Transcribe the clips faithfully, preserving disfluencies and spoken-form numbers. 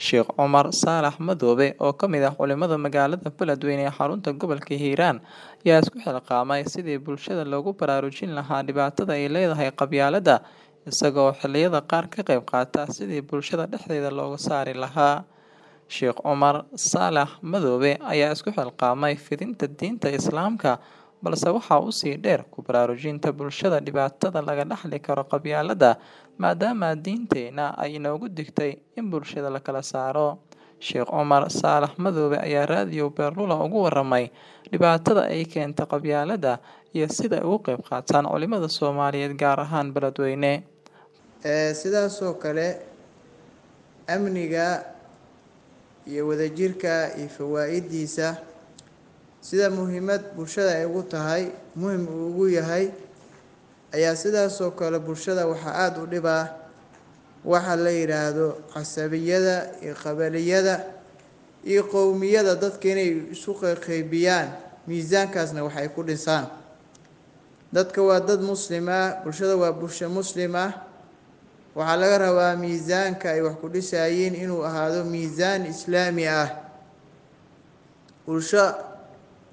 Sheekh Cumar Saalax Madoobe oo ka mid ah culimada magaalada Beledweyne ee xarunta gobolka Hiiraan ayaa isku xilqaamay sidii bulshada loogu baraarujin lahaa dhibaatada ay leedahay qabyaaladda, isaga oo xilliyada qaar ka qayb qaata sidii bulshada dhexdeeda looga saari lahaa. Sheekh Cumar Saalax Madoobe ayaa isku xilqaamay fidinta diinta Islaamka, balse waxaa usii dheer ku baraarujinta bulshada dhibaatada laga dhaxli karo qabyaaladda, maadaama diinteena ay inoogu digtay in bulshada la kala saaro. Sheekh Cumar Saalax Madoobe ayaa raadiyo Beerlula uga warramay dhibaatada ay keento qabyaaladda iyo sida ay uga qayb qaataan culimada Soomaaliyeed gaar ahaan Beledweyne. Sidaasoo kale amniga iyo wadajirka iyo fawaa-idiisa sida muhiimad bulshada ay ugu tahay muhim uu ugu yahay ayaa sidaasoo kale bulshada waxaa aada u dhibaa waxa la yidhaahdo casabiyada iyo qabaliyada iyo qowmiyada dadka inay isu qeyqeybiyaan, miisaankaasna waxay ku dhisaan. Dadka waa dad muslim ah, bulshada waa bulsho muslim ah. Waxaa laga rabaa miisaanka ay wax ku dhisayiin inuu ahaado miisaan islaami ah, bulsho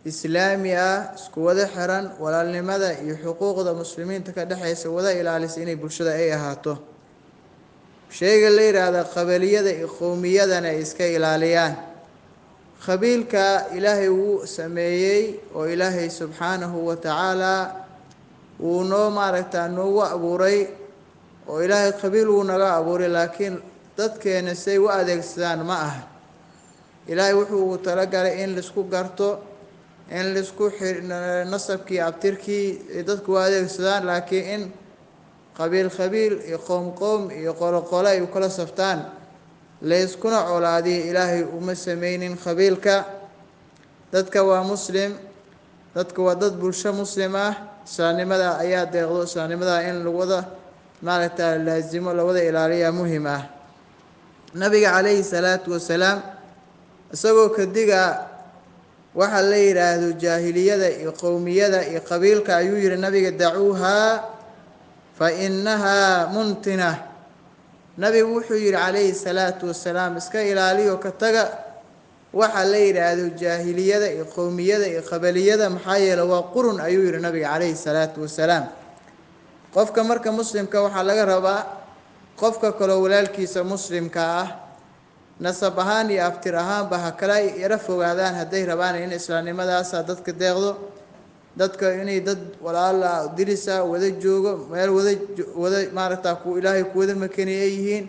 islaami ah, isku wada xiran, walaalnimada iyo xuquuqda muslimiinta ka dhexeysa wada ilaalisa inay bulshada ay ahaato. Sheyga la yidhaahda qabaliyada iyo qowmiyadana ay iska ilaaliyaan. Qabiilka Ilaahay wuu sameeyey oo Ilaahay subxaanahu wa tacaala wuu noo maaragtaa noogu abuuray oo Ilaahay qabiil wuu naga abuuray, laakiin dadkeena say u adeegsadaan ma aha. Ilaahay wuxuu ugu talagalay in laisku garto, in laisku nasabkii abtirkii dadku u adeegsadaan, laakiin in qabiil qabiil iyo qowm qowm iyo qolo qolo ay u kala saftaan layskuna colaadiyo Ilaahay uma sameynin qabiilka. Dadka waa muslim, dadka waa dad bulsho muslim ah. Islaamnimada ayaa deeqdo, islaamnimada in lawada maaragtaa laasimo lawada ilaaliyaa muhim ah. Nabiga calayhi salaatu wasalaam isagoo kadiga waxaa la yidhaahdo jaahiliyada iyo qowmiyada iyo qabiilka ayuu yihi nabiga, dacuuhaa fa innahaa muntina. Nabigu wuxuu yihi calayhi salaatu wasalaam, iska ilaaliyo ka taga waxaa la yidhaahdo jaahiliyada iyo qowmiyada iyo qabaliyada, maxaa yeele waa qurun ayuu yihi nabiga calayhi salaatu wasalaam. Qofka marka muslimka waxaa laga rabaa qofka kaloo walaalkiisa muslimka ah nasab ahaan iyo abtir ahaanba ha kala yaro fogaadaan hadday rabaan in islaamnimadaasa dadka deeqdo, dadka inay dad walaala dirisa wada joogo meel wada wada maaragtaa ku Ilaahay kuwada makani ay yihiin,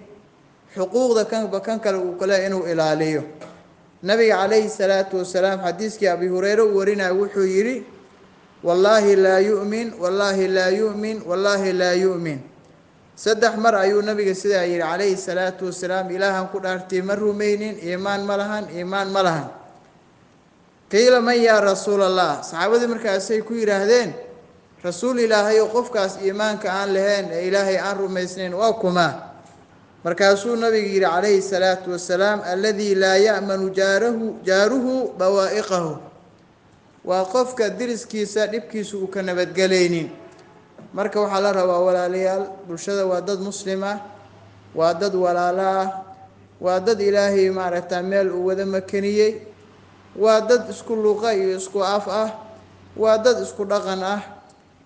xuquuqda kanba kan kale uu kale inuu ilaaliyo. Nabiga calayhi salaatu wasalaam xadiiskii Abi Hureyre uu warinayo wuxuu yidhi, wallaahi laa yu'min, wallaahi laa yu'min, wallaahi laa yu'min. Saddex mar ayuu nabiga sidaa yidhi calayhi salaatu wasalaam, Ilaahan ku dhaartay ma rumaynin, iimaan ma lahan, iimaan ma lahan. Qiila man yaa rasuul Allah? Saxaabadii markaasay ku yidhaahdeen, rasuul Ilaahay oo qofkaas iimaanka aan lahayn ee Ilaahay aan rumaysnayn waa kuma? Markaasuu nabigu yidhi calayhi salaatu wasalaam, alladii laa ya'manu jaarahu jaaruhu bawaa'iqahu. Waa qofka diriskiisa dhibkiisa uu ka nabadgelaynin. Marka waxaa la rabaa walaalayaal, bulshada waa dad muslim ah, waa dad walaalo ah, waa dad Ilaahay maaragtaa meel uu wada makaniyey, waa dad isku luqa iyo isku af ah, waa dad isku dhaqan ah.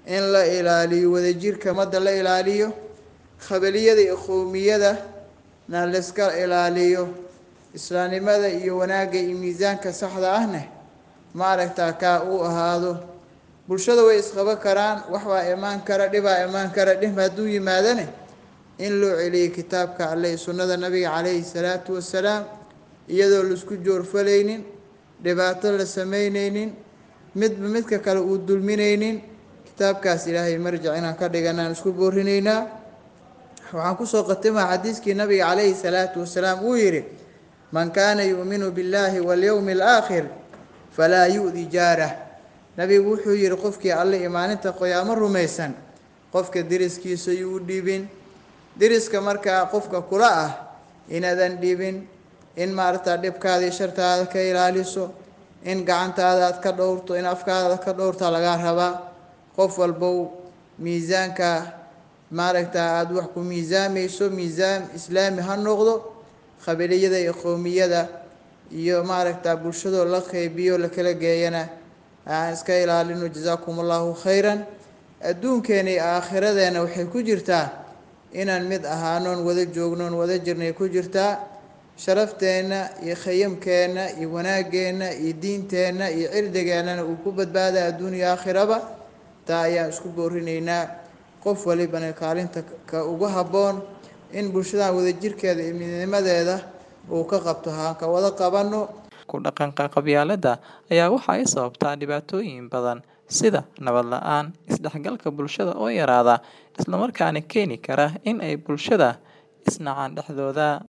In la ilaaliyo wadajirka ummadda la ilaaliyo, qabaliyada iyo qowmiyada na layska ilaaliyo, islaamnimada iyo wanaagga iyo miisaanka saxda ahna maaragtaa kaa uu ahaado. Bulshada way isqaba karaan, wax baa imaan kara, dhibaa imaan kara. Dhib hadduu yimaadane in loo celiyo kitaabka Alle iyo sunnada nabiga calayhi salaatu wasalaam, iyadoo laisku joorfalaynin, dhibaato la sameyneynin, midba midka kale uu dulmineynin. Kitaabkaas Ilaahay marjac inaan ka dhiganaan isku boorinaynaa. Waxaan kusoo khatimaa xadiiskii nabiga calayhi salaatu wasalaam uu yidhi, man kaana yu'minu billaahi walyowmi alaakhir falaa yu'di jaarah. Nabigu wuxuu yihi qofkii Alle imaaninta qoyaamo rumaysan qofka deriskiisa yuu dhibin. Deriska markaa qofka kula ah inaadan dhibin, in maaragtaa dhibkaada iyo shartaada ka ilaaliso, in gacantaada aad ka dhowrto, in afkaada aad ka dhowrtaa lagaa rabaa. Qof walbow miisaanka maaragtaa aada wax ku miisaamayso miisaan islaami ha noqdo. Qabiliyada iyo qowmiyada iyo maaragta bulshadoo la qeybiyo la kala geeyana aan iska ilaalino. Jazaakum allahu khayran. Adduunkeena iyo aakhiradeena waxay ku jirtaa inaan mid ahaanoon wada joognoon wada jirnay ku jirtaa. Sharafteenna iyo khayamkeenna iyo wanaageenna iyo diinteenna iyo cirdigeennana uu ku badbaada adduun iyo aakhiraba. Taa ayaan isku boorinaynaa, qof walibana kaalinta ka ugu habboon in bulshadan wadajirkeeda iyo midnimadeeda uu ka qabto haan ka wada qabanno. Ku dhaqanka qabyaaladda ayaa waxa ay sababtaa dhibaatooyin badan sida nabad la'aan, isdhexgalka bulshada oo yaraada, isla markaana keeni kara in ay bulshada is nacaan dhexdooda.